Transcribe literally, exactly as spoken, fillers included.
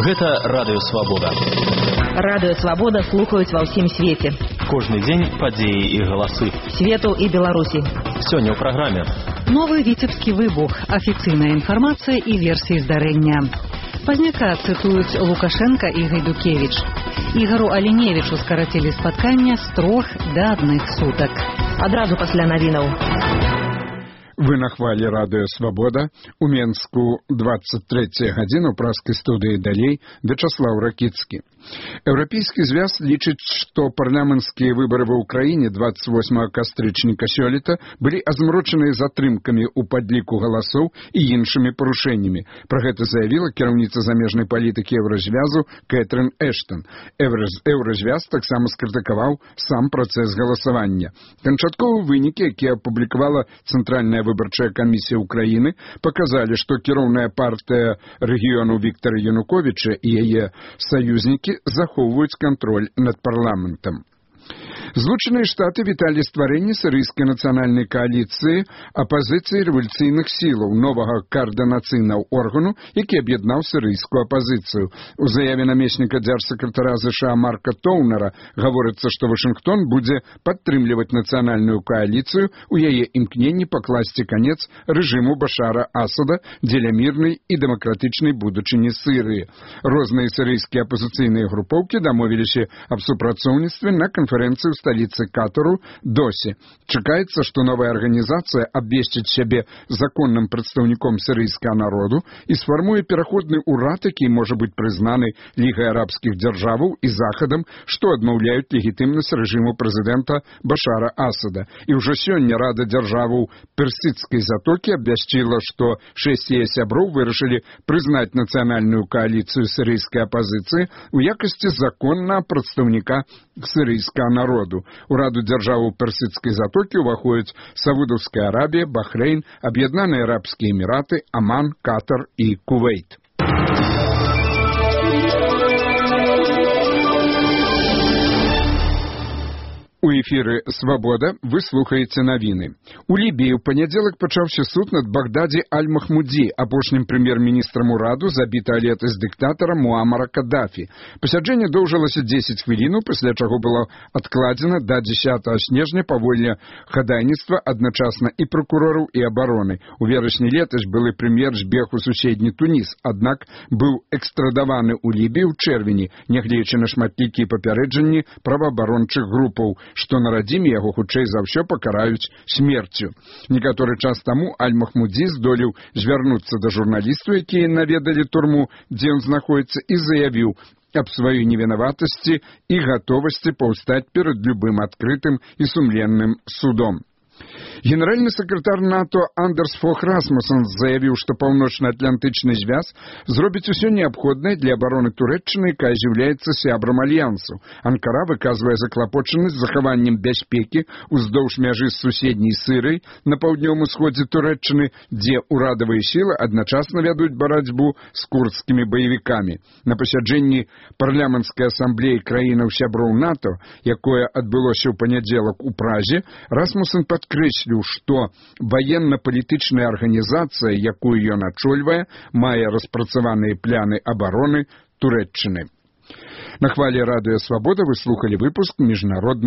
Гэта Радыё Свабода. Радыё Свабода слухаюць ва ўсім свеце. Кожны дзень падзеі і галасы. Свету і Беларусі. Сёння ў праграме. Новы віцебскі выбух, афіцыйная інфармацыя і версіі здарэння. Пазняка цытуюць Лукашенка і Гайдукевіч. Ігару Аліневічу скарацілі спаткання з трох да адных сутак. Адразу пасля навінаў. Вы на хвалі Радыё Свабода. У Менску двадцать третья гадзіна, ў праскай студыі далей Вячаслаў Ракіцкі. Еўрапейскі звяз лічыць, што парламенцкія выбары ва ўкраіне двадцать восьмага кастрычніка сёлета былі азмрочаныя затрымкамі ў падліку галасоў і іншымі парушэннямі. Пра гэта заявіла кіраўніца замежнай палітыкі Еўразвязу Кэтрин Эштон. Еўразвяз таксама скрытыкаваў сам працэс галасавання. Канчатковыя вынікі, якія апублікавала Цэнтральная выбарчая камісія ўкраіны, паказалі, што кіроўная партыя рэгіёну Віктара Януковіча і яе саюзнікі захоўваюць кантроль над парламентам. Злучаныя Штаты віталі стварэнне сірыйскай нацыянальнай кааліцыі апазіцыі рэвалюцыйных сілаў, новага каардынацыйнага органу, які аб'яднаў сірыйскую апазіцыю. У заяве намесніка дзяржсакратара ЗША Марка Тоўнера гаворыцца, што Вашынгтон будзе падтрымліваць нацыянальную кааліцыю у яе імкненні пакласці канец рэжыму Башара Асада дзеля мірнай і дэмакратычнай будучыні Сірыі. Розныя сірыйскія апазіцыйныя групоўкі дамовіліся аб супрацоўніцтве на канферэнцыі ў сталіцы Катару Досі. Чакаецца, што новая арганізацыя абвесціць сябе законным прадстаўніком сірыйскага народу і сфармуе пераходны ўрад, які можа быць прызнаны Лігай арабскіх дзяржаваў і Захадам, што адмаўляюць легітымнасць рэжыму прэзідэнта Башара Асада. І ўжо сёння Рада дзяржаваў Персідскай затокі абвясціла, што шэсць яе сяброў вырашылі прызнаць нацыянальную кааліцыю сірыйскай апазіцыі ў якасці законнага прадстаўніка сірыйскага народу. У Раду дзяржаваў Персідскай затокі ўваходзяць Саудаўская Арабія, Бахрэйн, Аб'яднаныя Арабскія Эміраты, Аман, Катар і Кувейт. У эфіры «Свабода» вы слухаеце навіны. У Лібіі ў панядзелак пачаўся суд над Багдаді Аль-Махмудзі, апошнім прэм'ер-міністрам ураду, забітага летась дыктатара Муамара Каддафі. Пасяджэнне доўжылася дзесяць хвілінаў, пасля чаго было адкладзена да дзесятага снежня паводле хадайніцтва адначасна і пракурораў, і абароны. У верасні летась былы прэм'ер збег у суседні Туніс, аднак быў экстрадаваны ў Лібію ў чэрвені, нягледзячы на шматлікія папярэджанні праваабарончых групаў, што на радзіме яго хутчэй за ўсё пакараюць смерцю. Некаторы час таму Аль-Махмудзі здолеў звярнуцца да журналістаў, якія наведалі турму, дзе ён знаходзіцца, і заявіў аб сваёй невінаватасці і гатовасці паўстаць перад любым адкрытым і сумленным судом. Генеральны сакратар НАТО Андерс Фог Расмуссен заявіў, што паўночна-атлантычны звяз зробіць усё неабходнае для абароны Турэччыны, якая з'яўляецца сябрам альянсу. Анкара выказвае заклапочанасць захаваннем бяспекі уздоўж мяжы з суседняй Сірыяй на паўднёвым усходзе Турэччыны, дзе ўрадавыя сілы адначасна вядуць барацьбу з курдскімі баевікамі. На пасяджэнні парламенцкай асамблеі краінаў сяброў НАТО, якое адбылося ў панядзелак у Празе, Расмуссен падкрэсліў, што ваенна-палітычная арганізацыя, якую ён ачольвае, мае распрацаваныя пляны абароны Турэччыны. На хвалі Радыё Свабода вы слухалі выпуск міжнародных